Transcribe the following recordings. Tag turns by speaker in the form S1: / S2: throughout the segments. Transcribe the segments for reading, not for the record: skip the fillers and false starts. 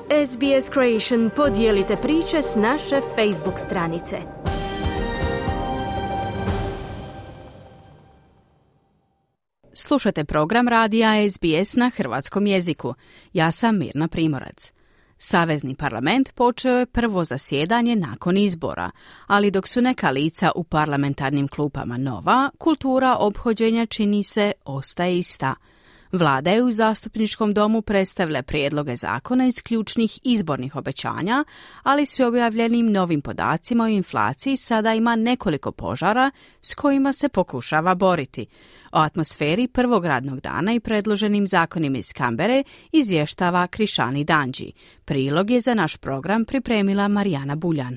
S1: SBS Creation podijelite priče s naše Facebook stranice.
S2: Slušate program radija SBS na hrvatskom jeziku. Ja sam Mirna Primorac. Savezni parlament počeo je prvo zasjedanje nakon izbora, ali dok su neka lica u parlamentarnim klupama nova, kultura ophođenja čini se ostaje ista. Vlada je u zastupničkom domu predstavila prijedloge zakona iz ključnih izbornih obećanja, ali s objavljenim novim podacima o inflaciji sada ima nekoliko požara s kojima se pokušava boriti. O atmosferi prvog radnog dana i predloženim zakonima iz Kambere izvještava Krišani Danđi. Prilog je za naš program pripremila Marijana Buljan.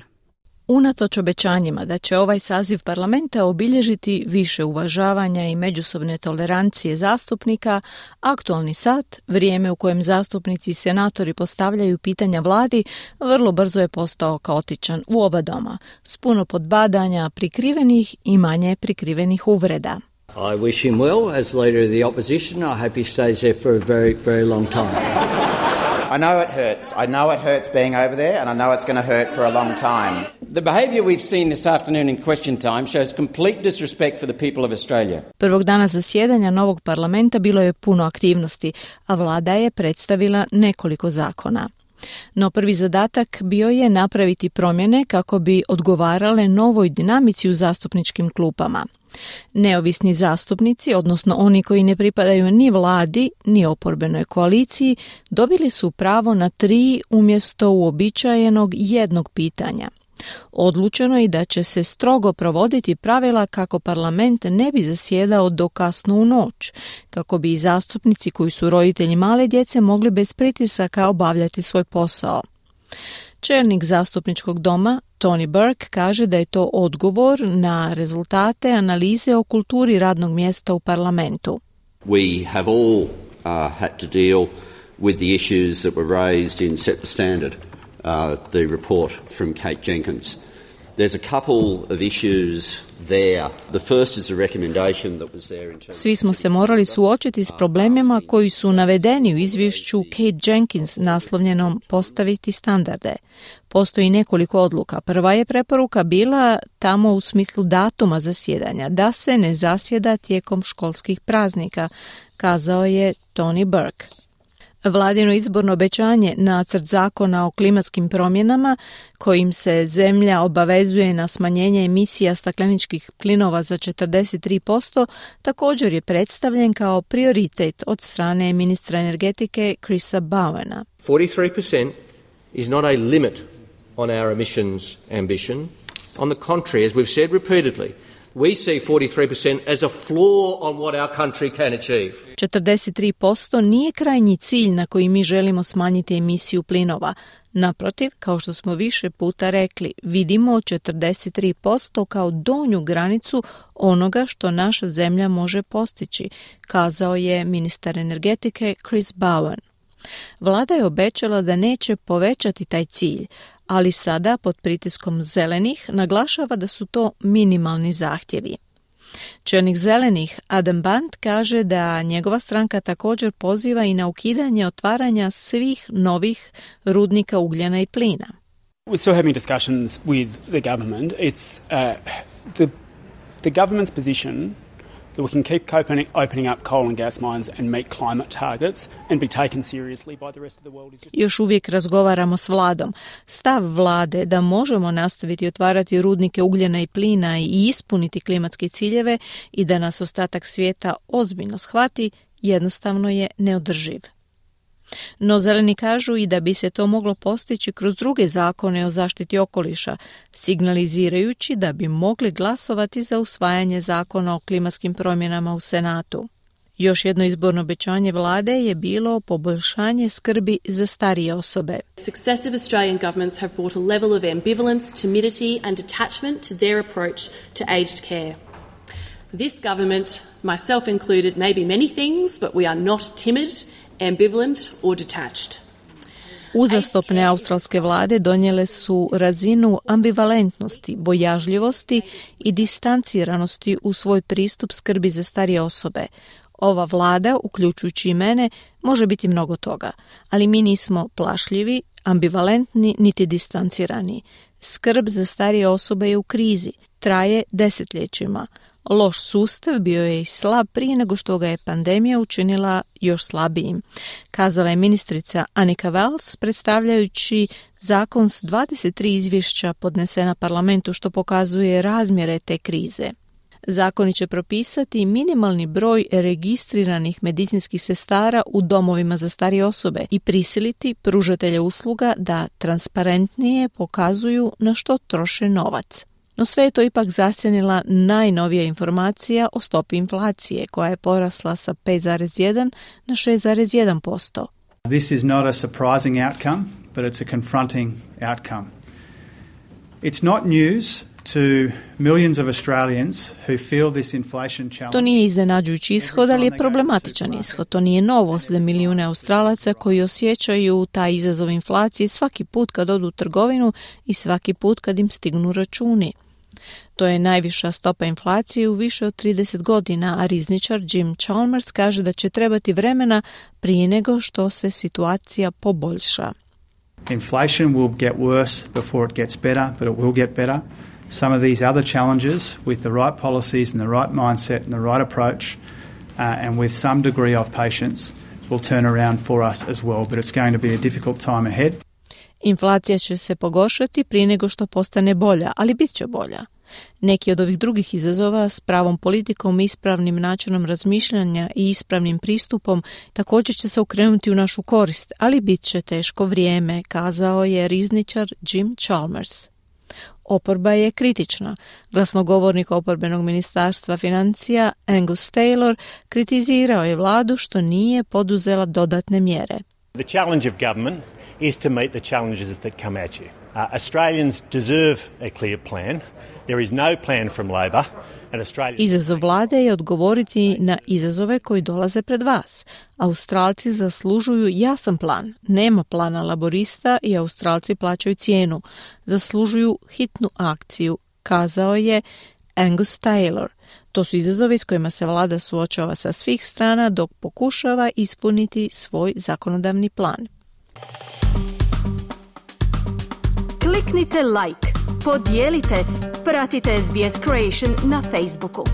S3: Unatoč obećanjima da će ovaj saziv parlamenta obilježiti više uvažavanja i međusobne tolerancije zastupnika, aktualni sat, vrijeme u kojem zastupnici i senatori postavljaju pitanja vladi, vrlo brzo je postao kaotičan u oba doma, s puno podbadanja prikrivenih i manje prikrivenih uvreda.
S4: I wish him well as leader of the opposition. I hope he stays there for a very, very long time.
S5: I know it hurts. I know it hurts being over there, and I know it's going to hurt for a long time.
S6: The behaviour we've seen this afternoon in question time shows complete disrespect for the people of Australia.
S3: Prvog dana zasjedanja novog parlamenta bilo je puno aktivnosti, a vlada je predstavila nekoliko zakona. No prvi zadatak bio je napraviti promjene kako bi odgovarale novoj dinamici u zastupničkim klupama. Neovisni zastupnici, odnosno oni koji ne pripadaju ni vladi, ni oporbenoj koaliciji, dobili su pravo na 3 umjesto uobičajenog jednog pitanja. Odlučeno je da će se strogo provoditi pravila kako parlament ne bi zasjedao do kasno u noć, kako bi i zastupnici koji su roditelji male djece mogli bez pritisaka obavljati svoj posao. Čelnik zastupničkog doma, Tony Burke, kaže da je to odgovor na rezultate analize o kulturi radnog mjesta u parlamentu.
S7: We have all had to deal with the issues that were raised in Set the Standard, the report from Kate Jenkins. There's a couple of issues there. The first is a recommendation that was there in terms.
S3: Svi smo se morali suočiti s problemima koji su navedeni u izvješću Kate Jenkins naslovljenom Postaviti standarde. Postoji nekoliko odluka. Prva je preporuka bila tamo u smislu datuma zasjedanja, da se ne zasjeda tijekom školskih praznika, kazao je Tony Burke. Vladino izborno obećanje, nacrt zakona o klimatskim promjenama, kojim se zemlja obavezuje na smanjenje emisija stakleničkih plinova za 43%, također je predstavljen kao prioritet od strane ministra energetike Chrisa Bowena.
S8: 43% is not a limit on our emissions ambition. On the contrary, as we've said repeatedly, we see 43% as a floor on what our country can achieve.
S3: 43% nije krajnji cilj na koji mi želimo smanjiti emisiju plinova. Naprotiv, kao što smo više puta rekli, vidimo 43% kao donju granicu onoga što naša zemlja može postići, kazao je ministar energetike Chris Bowen. Vlada je obećala da neće povećati taj cilj, ali sada pod pritiskom zelenih naglašava da su to minimalni zahtjevi. Čelnik zelenih Adam Band kaže da njegova stranka također poziva i na ukidanje otvaranja svih novih rudnika ugljena i plina.
S9: We're still having discussions with the government. It's the government's position that we can keep opening up coal and gas mines and meet climate targets and be taken seriously by the rest of the world is just...
S3: Još uvijek razgovaramo s vladom. Stav vlade da možemo nastaviti otvarati rudnike ugljena i plina i ispuniti klimatske ciljeve i da nas ostatak svijeta ozbiljno shvati, jednostavno je neodrživ. No zeleni kažu i da bi se to moglo postići kroz druge zakone o zaštiti okoliša, signalizirajući da bi mogli glasovati za usvajanje zakona o klimatskim promjenama u Senatu. Još jedno izborno obećanje vlade je bilo poboljšanje skrbi za starije osobe.
S10: Successive Australian governments have brought a level of ambivalence, timidity and detachment to their approach to aged care. This government, myself included, may be many things, but we are not timid, ambivalent or detached.
S3: Uzastopne australske vlade donijele su razinu ambivalentnosti, bojažljivosti i distanciranosti u svoj pristup skrbi za starije osobe. Ova vlada, uključujući i mene, može biti mnogo toga, ali mi nismo plašljivi, ambivalentni niti distancirani. Skrb za starije osobe je u krizi, traje desetljećima. Loš sustav bio je i slab prije nego što ga je pandemija učinila još slabijim, kazala je ministrica Annika Wells predstavljajući zakon s 23 izvješća podnesena parlamentu što pokazuje razmjere te krize. Zakoni će propisati minimalni broj registriranih medicinskih sestara u domovima za starije osobe i prisiliti pružatelje usluga da transparentnije pokazuju na što troše novac. No sve je to ipak zasjenila najnovija informacija o stopi inflacije, koja je porasla sa 5,1 na 6,1%.
S11: This is not a surprising outcome, but it's a confronting outcome. It's not news to millions of Australians who feel this inflation challenge.
S3: To nije iznenađujući ishod, ali je problematičan ishod. To nije novost za milijune Australaca koji osjećaju taj izazov inflacije svaki put kad odu u trgovinu i svaki put kad im stignu računi. To je najviša stopa inflacije u više od 30 godina, a rizničar Jim Chalmers kaže da će trebati vremena prije nego što se situacija poboljša.
S11: Inflation will get worse before it gets better, but it will get better. Some of these other challenges with the right policies and the right mindset and the right approach and with some degree of patience will turn around for us as well, but it's going to be a difficult time ahead.
S3: Inflacija će se pogoršati prije nego što postane bolja, ali bit će bolja. Neki od ovih drugih izazova s pravom politikom, ispravnim načinom razmišljanja i ispravnim pristupom također će se okrenuti u našu korist, ali bit će teško vrijeme, kazao je rizničar Jim Chalmers. Oporba je kritična. Glasnogovornik oporbenog ministarstva financija Angus Taylor kritizirao je vladu što nije poduzela dodatne mjere.
S12: The challenge of government is to meet the challenges that come at you. Australians deserve a clear plan. There is no plan from Labor.
S3: Izazov vlade je odgovoriti na izazove koji dolaze pred vas. Australci zaslužuju jasan plan. Nema plana laborista i Australci plaćaju cijenu. Zaslužuju hitnu akciju, kazao je Angus Taylor. To su izazovi s kojima se vlada suočava sa svih strana dok pokušava ispuniti svoj zakonodavni plan.
S1: Kliknite like, podijelite, pratite SBS Creation na Facebooku.